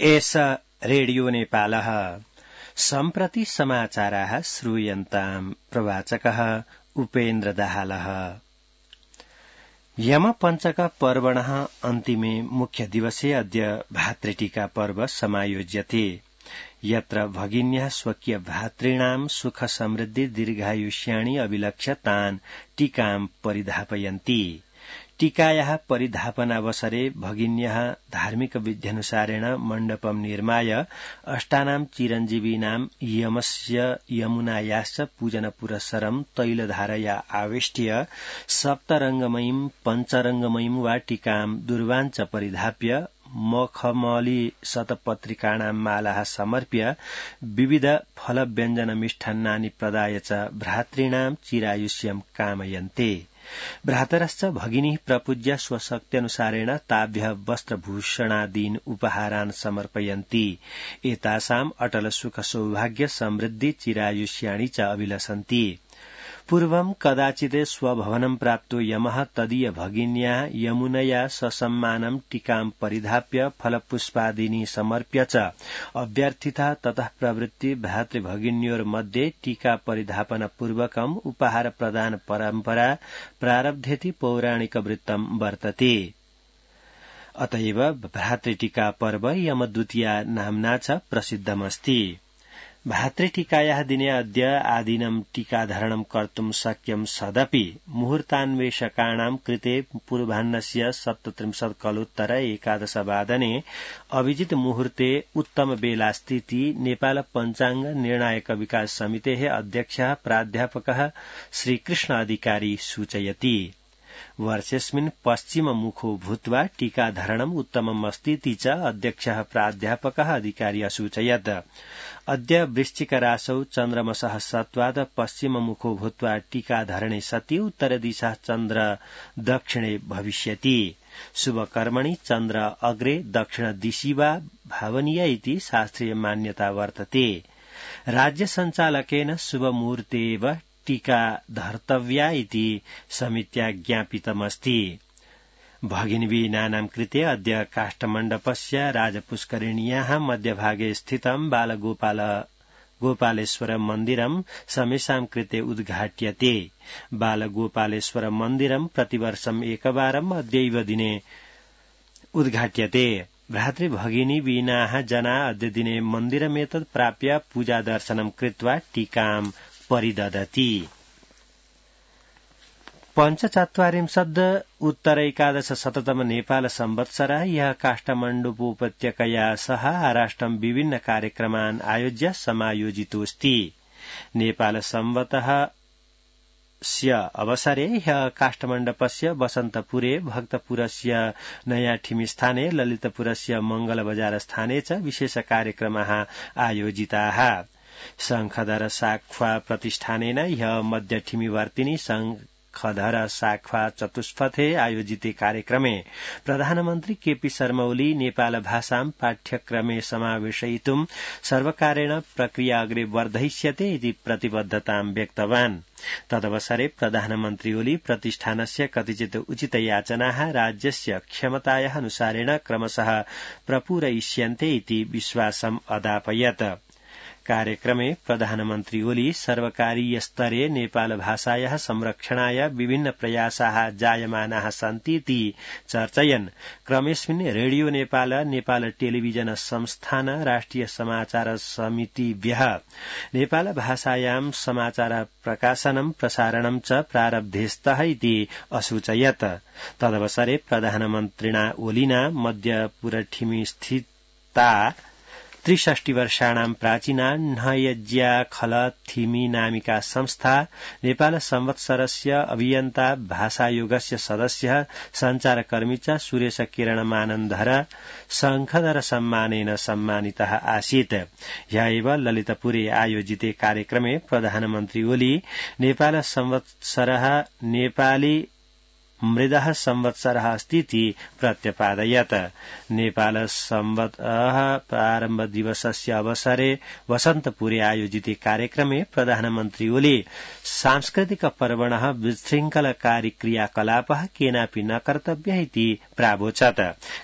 एष रेडियो नेपालः सम्प्रति समाचाराः श्रूयन्ताम् प्रवाचकः उपेन्द्र दाहालः। यमपञ्चक पर्वणः अन्तिमे मुख्य दिवसे अद्य भातृटीका पर्व समायोज्यते, यत्र भगिन्यः स्वकीय भातॄणां सुख समृद्धि दीर्घायुष्याणि अभिलक्ष्य तान् टीकां परिधापयन्ति। टीकायाः परिधापनावसरे भगिन्यः धार्मिक विध्यनुसारेण मण्डपं निर्माय अष्टानां चिरञ्जीवीनां यमस्य यमुनायाश्च पूजनपुरस्सरं तैलधारया आवेष्ट्य सप्तरङ्गमयीं पञ्चरङ्गमयीं वा टीकां दूर्वाञ्च परिधाप्य मखमली शतपत्रिकाणां मालाः समर्प्य विविध फलव्यञ्जन मिष्टान्नानि प्रदाय च भ्रातॄणां चिरायुष्यं कामयन्ते। भ्रातरश्च भगिनीः प्रपूज्य स्वशक्त्यनुसारेण ताभ्यः वस्त्रभूषणादीन् उपहारान् समर्पयन्ति। एतासाम् अटल सुख सौभाग्य समृद्धि चिरायुष्याणि च अभिलषन्ति। पूर्वं कदाचित् स्वभवनं प्राप्तो यमः तदीय भगिन्या यमुनया ससम्मानं टीकां परिधाप्य फलपुष्पादीनि समर्प्य च अभ्यर्थितः। ततः प्रवृत्ति भ्रातृभगिन्योर्मध्ये टीका परिधापन पूर्वकम् उपहार प्रदान परम्परा प्रारब्धेति पौराणिकवृत्तं वर्तते। अतएव भ्रातृटीका पर्व यमद्वितीया नाम्ना च प्रसिद्धमस्ति। भातृटीकायाः दिने अद्य आदिनं टीकाधारणं कर्तुं शक्यं सदपि मुहूर्तान्वेषकाणां कृते पूर्वाह्नस्य 37 कलोत्तर 11 वादने अभिजित मुहूर्ते उत्तम बेलास्तीति नेपाल पञ्चाङ्ग निर्णायक विकास समितेः अध्यक्षः प्राध्यापकः श्रीकृष्ण अधिकारी सूचयति। वर्षेऽस्मिन् पश्चिममुखो भूत्वा टीकाधारणम् उत्तममस्तीति च अध्यक्षः प्राध्यापकः अधिकारी असूचयत्। अद्य वृश्चिकराशौ चन्द्रमसः सत्त्वात् पश्चिममुखो भूत्वा टीकाधारणे सति उत्तरदिशः चन्द्र दक्षिणे भविष्यति। शुभकर्मणि चन्द्र अग्रे दक्षिणदिशि वा भावनीय इति शास्त्रीय मान्यता वर्तते। राज्य सञ्चालकेन शुभमुहूर्तेव टीका धर्तव्या इति समित्या ज्ञापितमस्ति। भगिनीनां कृते अद्य काष्ठमण्डपस्य राजपुष्करिण्याः मध्यभागे स्थितं बालगोपालेश्वर मन्दिरं समेषां कृते उद्घाट्यते। बालगोपालेश्वर मन्दिरं प्रतिवर्षम् एकवारम् अद्यैव दिने उद्घाट्यते। भ्रातृभगिनीनाः जना अद्य दिने मन्दिरमेतत् प्राप्य पूजादर्शनं कृत्वा टीकां परिदधति। 45 उत्तर 11 नेपाल संवत्सरः यः काष्ठमण्डपोपत्यकया सह आराष्ट्रं विभिन्न कार्यक्रमान् आयोज्य समायोजितोऽस्ति। नेपाल संवतः स्य अवसरे ह्यः काष्ठमण्डपस्य वसन्तपुरे, भक्तपुरस्य नयाठिमी स्थाने, ललितपुरस्य मंगलबजार स्थाने च विशेष कार्यक्रमाः आयोजिताः। शङ्खधर साख्वा प्रतिष्ठानेन ह्यः मध्यठिमीवर्तिनि शङ्खधर साख्वा चतुष्पथे आयोजिते कार्यक्रमे प्रधानमन्त्री केपी शर्मा ओली नेपाल भाषां पाठ्यक्रमे समावेशयितुं सर्वकारेण प्रक्रिया अग्रे वर्धयिष्यते इति प्रतिबद्धतां व्यक्तवान्। तदवसरे प्रधानमन्त्री ओली प्रतिष्ठानस्य कतिचित् उचितयाचनाः राज्यस्य क्षमतायाः अनुसारेण क्रमशः प्रपूरयिष्यन्ते इति विश्वासम् अदापयत्। कार्यक्रमे प्रधानमन्त्री ओली सर्वकारीय स्तरे नेपाल भाषायाः संरक्षणाय विभिन्न प्रयासाः जायमानाः सन्तीति चर्चयन्। क्रमेऽस्मिन् रेडियो नेपाल, नेपाल टेलिभिजन संस्थान, राष्ट्रिय समाचार समितिभ्यः नेपाल भाषायां समाचार प्रकाशनं प्रसारणं च प्रारब्धेस्तः इति असूचयत्। तदवसरे प्रधानमन्त्रिणा ओलिना मध्यपुरठिमी स्थिता 63 वर्षाणां प्राचीना नयज्या खल थिमी नामिका संस्था नेपाल संवत्सरस्य अभियन्ता भाषायोगस्य सदस्यः सञ्चारकर्मी च सुरेश किरण मानन्धर शङ्खधर सम्मानेन सम्मानितः आसीत्। ह्यः ललितपुरे आयोजिते कार्यक्रमे प्रधानमन्त्री ओली नेपाल संवत्सरः नेपाली मृदः संवत्सरः अस्तीति प्रत्यपादयत्। नेपाल संवत्सरः प्रारम्भ दिवसस्य अवसरे वसन्तपुरे आयोजिते कार्यक्रमे प्रधानमन्त्री ओली सांस्कृतिक पर्वणः विशृङ्खलकारी क्रियाकलापः केनापि न कर्तव्यः इति प्रावोचत्।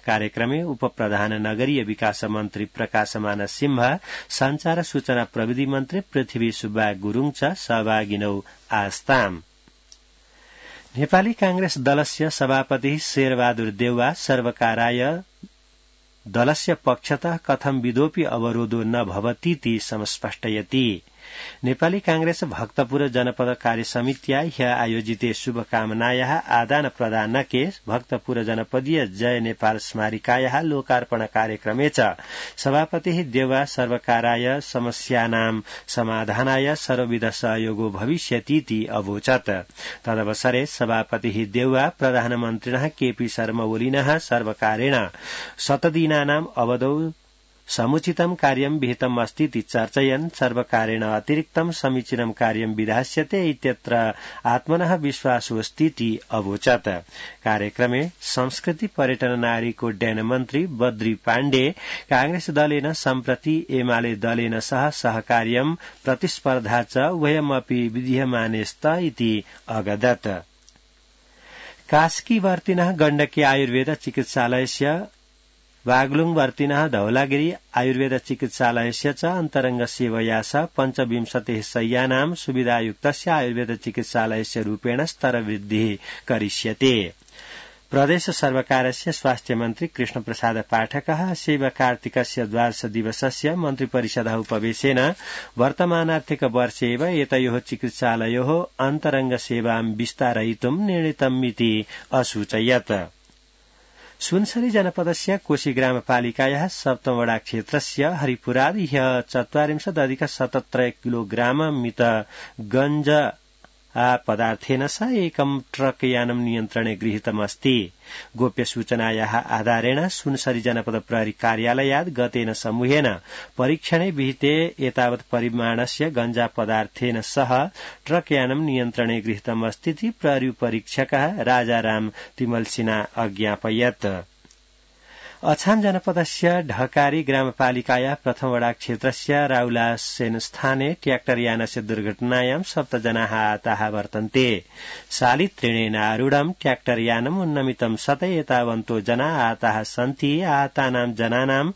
कार्यक्रमे उपप्रधान नगरीय विकास मन्त्री प्रकाशमान सिंह, संचार सूचना प्रविधि मन्त्री पृथ्वी सुब्बा गुरूङ च सहभागिनौ आस्ताम्। नेपाली कांग्रेस दलस्य सभापति शेरबहादुर देउवा सर्वकाराय दलस्य पक्षतः कथं विधोऽपि अवरोधो न भवतीति समस्पष्टयति। नेपाली कांग्रेस भक्तपुर जनपद कार्य समित्या ह्य आयोजिते शुभकामनायाः आदान प्रदानके भक्तपुर जनपदीय जय नेपाल स्मारिकायाः लोकार्पण कार्यक्रमे च सभापतिः देउवा सर्वकाराय समस्यानां समाधानाय सर्वविध सहयोगो भविष्यतीति अवोचत्। तदवसरे सभापतिः देउवा प्रधानमन्त्रिणः केपी शर्मा ओलिनः सर्वकारेण शतदिनानाम् अवधौ समुचितं कार्यं विहितम् अस्तीति चर्चयन् सर्वकारेण अतिरिक्तं समीचीनं कार्यं विधास्यते इत्यत्र आत्मनः विश्वासोऽस्तीति अवोचत्। कार्यक्रमे संस्कृति पर्यटन नागरिकोड्डयन मन्त्री बद्री पाण्डे कांग्रेस दलेन सम्प्रति एमाले दलेन सह सहकार्यं प्रतिस्पर्धा च उभयमपि विधीयमानेस्त इति अगदत्। कास्कीवर्तिनः गण्डकी आयुर्वेद चिकित्सालयस्य बागलुङवर्तिनः धौलागिरी आयुर्वेद चिकित्सालयस्य च अन्तरंग सेवया सह 25 शय्यानां सुविधायुक्तस्य आयुर्वेद चिकित्सालयस्य रूपेण स्तरवृद्धिः करिष्यते। प्रदेश सर्वकारस्य स्वास्थ्य मन्त्री कृष्ण प्रसाद पाठकः शैव कार्तिकस्य द्वादश दिवसस्य मन्त्रिपरिषदः उपवेशेन वर्तमानार्थिक वर्षे एव एतयोः चिकित्सालयोः अन्तरंग सेवां विस्तारयितुं निर्णीतमिति असूचयत्। सुनसरी जनपदस्य कोशी ग्रामपालिकायाः सप्तमवडा क्षेत्रस्य हरिपुराद ह्यः 40 किलोग्राम मित गञ्जा पदार्थेन सह एकं ट्रक यानं नियन्त्रणे गृहीतमस्ति। गोप्य सूचनायाः आधारेण सुनसरी जनपद प्रहरी कार्यालयात् गतेन समूहेन परीक्षणे विहिते एतावत् परिमाणस्य गञ्जा पदार्थेन सह ट्रक यानं नियन्त्रणे गृहीतमस्तीति प्रहरी परीक्षकः राजाराम तिमलसिन्हा अज्ञापयत्। अछाम जनपदस्य ढकारी ग्रामपालिकायाः प्रथमवडा क्षेत्रस्य राउलासेन स्थाने ट्र्याक्टर यानस्य दुर्घटनायां 7 जनाः आहताः वर्तन्ते। शालित्रेणेन आरूढं ट्र्याक्टर यानम् उन्नमितं सतै एतावन्तो जना आहताः सन्ति। आहतानां जनानां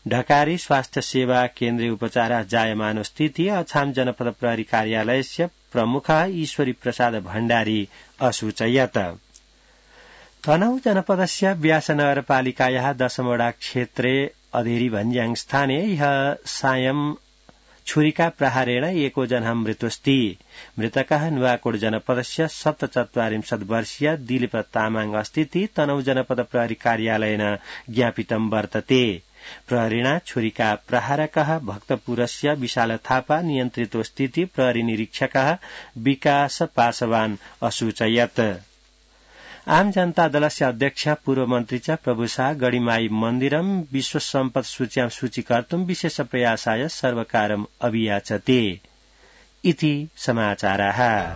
ढकारी स्वास्थ्य सेवा केन्द्रे उपचारः जायमानोऽस्तीति अछाम जनपद प्रहरी कार्यालयस्य प्रमुखः ईश्वरी प्रसाद भण्डारी असूचयत्। तनहु जनपदस्य व्यास नगरपालिकायाः 10वडा क्षेत्रे अधेरी भन्ज्याङ स्थाने ह्यः सायं छुरिका प्रहारेण एको जनः मृतोऽस्ति। मृतकः नुवाकोट जनपदस्य 47 वर्षीय दिलीप तामाङ अस्तीति तनहु जनपद प्रहरी कार्यालयेन ज्ञापितं वर्तते। प्रहरीणा छुरिका प्रहारकः भक्तपुरस्य विशाल थापा नियन्त्रितोऽस्तीति प्रहरी निरीक्षकः विकास पासवान असूचयत्। आम जनता दलस्य अध्यक्ष पूर्व मन्त्री च प्रभुशाह गढीमाई मन्दिरं विश्व सम्पद सूच्यां सूचीकर्तुं विशेष प्रयासाय सर्वकारम् अभियाचते इति समाचाराः।